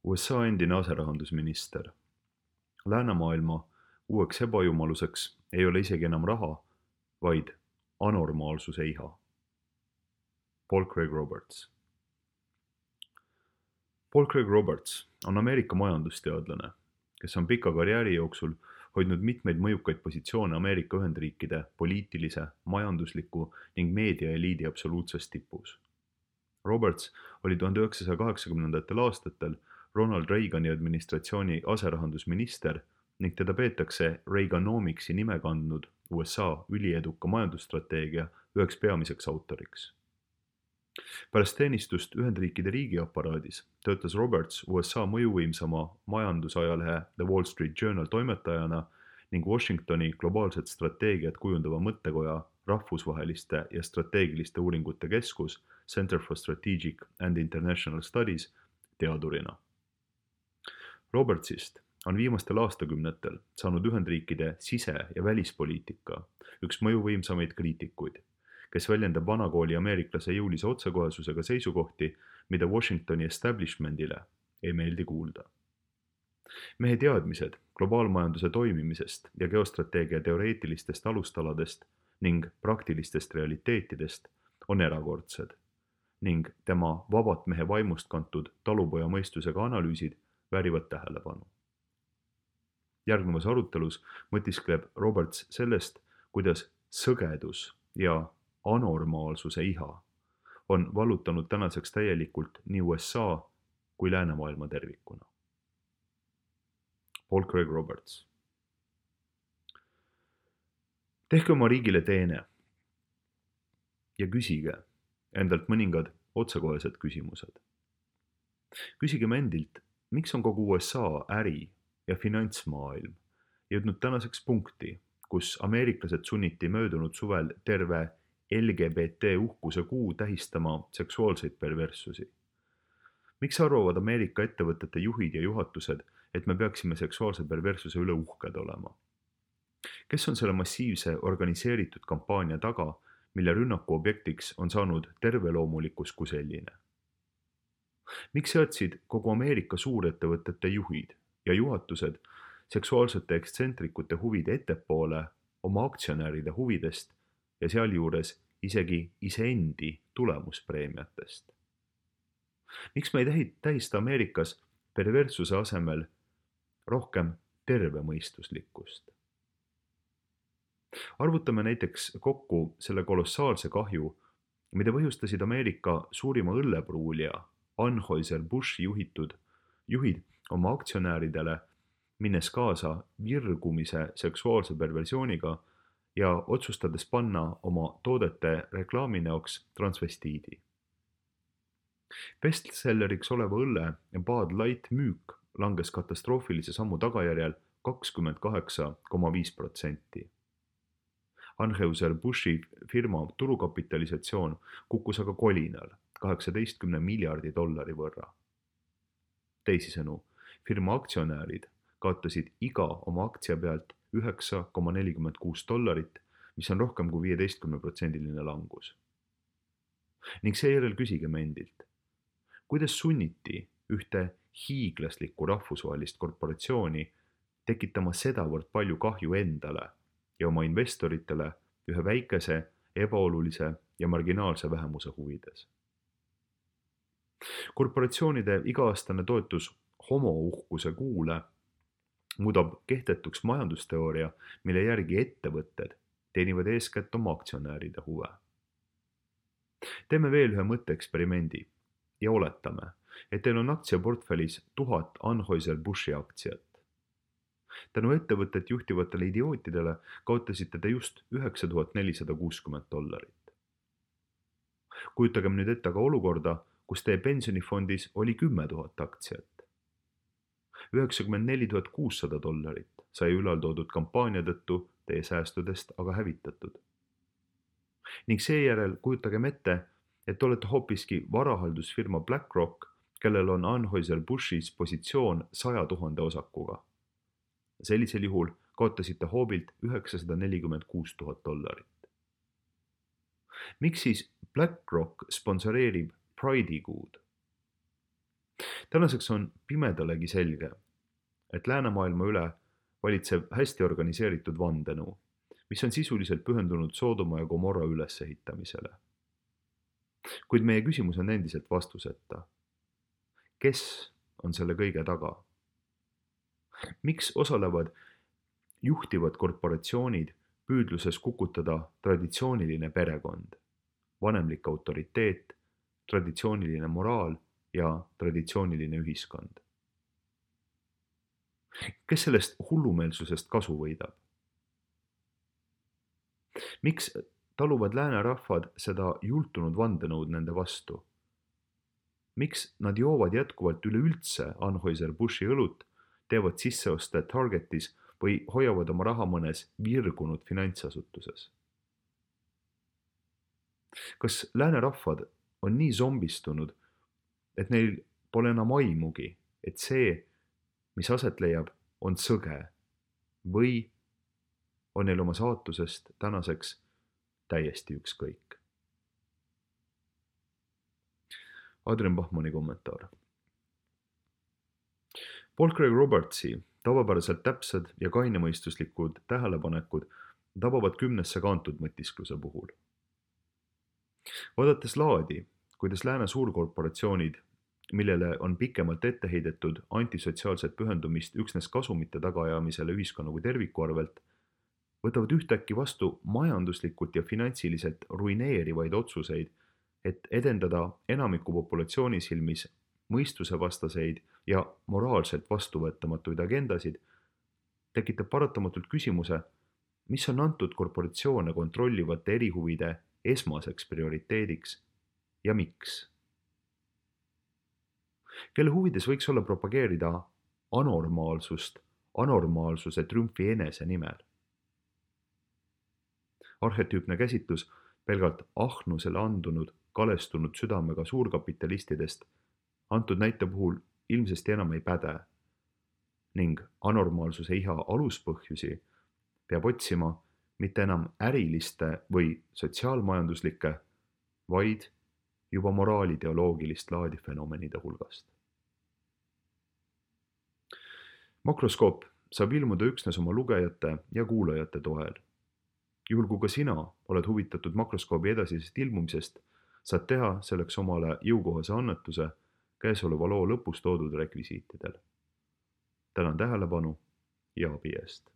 USA endine aserahandusminister. Läänemaailma uueks ebajumaluseks ei ole isegi enam raha, vaid anormaalsuse iha. Paul Craig Roberts. Paul Craig Roberts on Ameerika majandusteadlane, kes on pika karjääri jooksul hoidnud mitmeid mõjukaid positsioone Ameerika Ühendriikide poliitilise, majandusliku ning meediaeliidi absoluutses tipus. Roberts oli 1980. aastatel Ronald Reagani administratsiooni aserahandusminister ning teda peetakse Reaganomicsi nime kandnud USA ülieduka majandusstrateegia üheks peamiseks autoriks. Pärast teenistust Ühendriikide riigiaparaadis töötas Roberts USA mõjuvõimsama majandusajalehe The Wall Street Journal toimetajana ning Washingtoni globaalset strateegiat kujundava mõttekoja rahvusvaheliste ja strateegiliste uuringute keskus Center for Strategic and International Studies teadurina. Robertsist on viimastel aastakümnetel saanud Ühendriikide sise- ja välispoliitika üks mõjuvõimsamaid kriitikuid, kes väljendab vanakooli ameeriklase jõulise otsekohesusega seisukohti, mida Washingtoni establishmentile ei meeldi kuulda. Mehe teadmised globaalmajanduse toimimisest ja geostrateegia teoreetilistest alustaladest ning praktilistest realiteetidest on erakordsed ning tema vabat mehe vaimust kantud talupoja mõistusega analüüsid väärivad tähelepanu. Järgnevas arutelus mõtiskleb Roberts sellest, kuidas sõgedus ja anormaalsuse iha on vallutanud tänaseks täielikult nii USA kui läänemaailma tervikuna. Paul Craig Roberts. Tehke oma riigile teene ja küsige endalt mõningad otsekohesed küsimused. Küsigem endilt, miks on kogu USA äri- ja finantsmaailm jõudnud tänaseks punkti, kus ameeriklased sunniti möödunud suvel terve LGBT uhkuse kuu tähistama seksuaalseid perverssusi. Miks arvavad Ameerika ettevõtete juhid ja juhatused, et me peaksime seksuaalse perverssuse üle uhked olema? Kes on selle massiivse organiseeritud kampaania taga, mille rünnaku objektiks on saanud terveloomulikkus kui selline? Miks seadsid kogu Ameerika suurettevõtete juhid ja juhatused seksuaalsete ekstsentrikute huvid ettepoole oma aktsionäride huvidest ja sealjuures isegi iseendi tulemuspreemiatest? Miks me ei tähista Ameerikas perverssuse asemel rohkem tervemõistuslikkust? Arvutame näiteks kokku selle kolossaalse kahju, mida põhjustasid Ameerika suurima õllepruulija Anheuser-Busch juhid oma aktsionäridele, minnes kaasa virgumise seksuaalse perversiooniga ja otsustades panna oma toodete reklaami näoks transvestiidi. Bestselleriks oleva õlle Bud Light müük langes katastroofilise sammu tagajärjel 28,5%. Anheuser-Buschi firma turukapitalisatsioon kukkus aga kolinal 18 miljardi dollari võrra. Teisisõnu, firma aktsionärid kaotasid iga oma aktsia pealt $9,46, mis on rohkem kui 15% langus. Ning seejärel küsigem endilt, kuidas sunniti ühte hiiglaslikku rahvusvahelist korporatsiooni tekitama sedavõrd palju kahju endale ja oma investoritele ühe väikese, ebaolulise ja marginaalse vähemuse huvides. Korporatsioonide iga-aastane toetus homouhkuse kuule muudab kehtetuks majandusteooria, mille järgi ettevõtted teenivad eeskätt oma aktsionäride huve. Teeme veel ühe mõtteeksperimendi ja oletame, et teil on aktsiaportfellis 1000 Anheuser-Buschi aktsiat. Tänu ettevõtet juhtivatele idiootidele kaotasite te just $9460. Kujutagem nüüd ette aga olukorda, kus teie pensionifondis oli 10 000 aktsiat. $94 sai ülaltoodud kampaania tõttu teie säästudest aga hävitatud. Ning seejärel kujutagem ette, et olete hoopiski varahaldusfirma BlackRock, kellel on Anheuser-Buschis positsioon 100 000 osakuga. Sellisel juhul kaotasite hoobilt $946,000. Miks siis BlackRock sponsoreerib Pride'i kuud? tänaseks on pimedalegi selge, et läänemaailma üle valitseb hästi organiseeritud vandenõu, mis on sisuliselt pühendunud Soodoma ja Gomorra ülesehitamisele. Kuid meie küsimus on endiselt vastuseta. Kes on selle kõige taga? Miks osalevad juhtivad korporatsioonid püüdluses kukutada traditsiooniline perekond, vanemlik autoriteet, traditsiooniline moraal ja traditsiooniline ühiskond? Kes sellest hullumeelsusest kasu võidab? Miks taluvad läänerahvad seda jultunud vandenõud nende vastu? Miks nad joovad jätkuvalt üleüldse Anheuser-Bushi õlut, teevad sisseoste Targetis või hoiavad oma raha mõnes virgunud finantsasutuses? Kas läänerahvad on nii zombistunud, et neil pole enam aimugi, et see, mis aset leiab, on sõge või on neil oma saatusest tänaseks täiesti ükskõik? Adrian Bachmanni kommentaar. Paul Craig Robertsi tavapäraselt täpsed ja kainemõistuslikud tähelepanekud tabavad kümnesse kantud mõtiskluse puhul. Vaadates laadi, kuidas lääne suurkorporatsioonid, millele on pikemalt ette heidetud antisotsiaalset pühendumist üksnes kasumite tagaajamisele ühiskonna kui terviku arvelt, võtavad ühtäkki vastu majanduslikult ja finantsiliselt ruineerivaid otsuseid, et edendada enamiku populatsiooni silmis mõistusevastaseid ja moraalselt vastuvõetamatuid agendasid, tekitab paratamatult küsimuse, mis on antud korporatsioone kontrollivate erihuvide esmaseks prioriteediks ja miks? Kelle huvides võiks olla propageerida anormaalsust anormaalsuse triumfi enese nimel? Arhetüüpne käsitlus pelgalt ahnusele andunud, kalestunud südamega suurkapitalistidest antud näite puhul ilmsesti enam ei päde ning anormaalsuse iha aluspõhjusi peab otsima mitte enam äriliste või sotsiaalmajanduslike, vaid juba moraalideoloogilist laadi fenomenide hulgast. Makroskoop saab ilmuda üksnes oma lugejate ja kuulajate toel. Juhul kui ka sina oled huvitatud makroskoobi edasisest ilmumisest, saad teha selleks omale jõukohase annetuse käesoleva loo lõpus toodud rekvisiitidel. Tänan tähelepanu ja abi eest!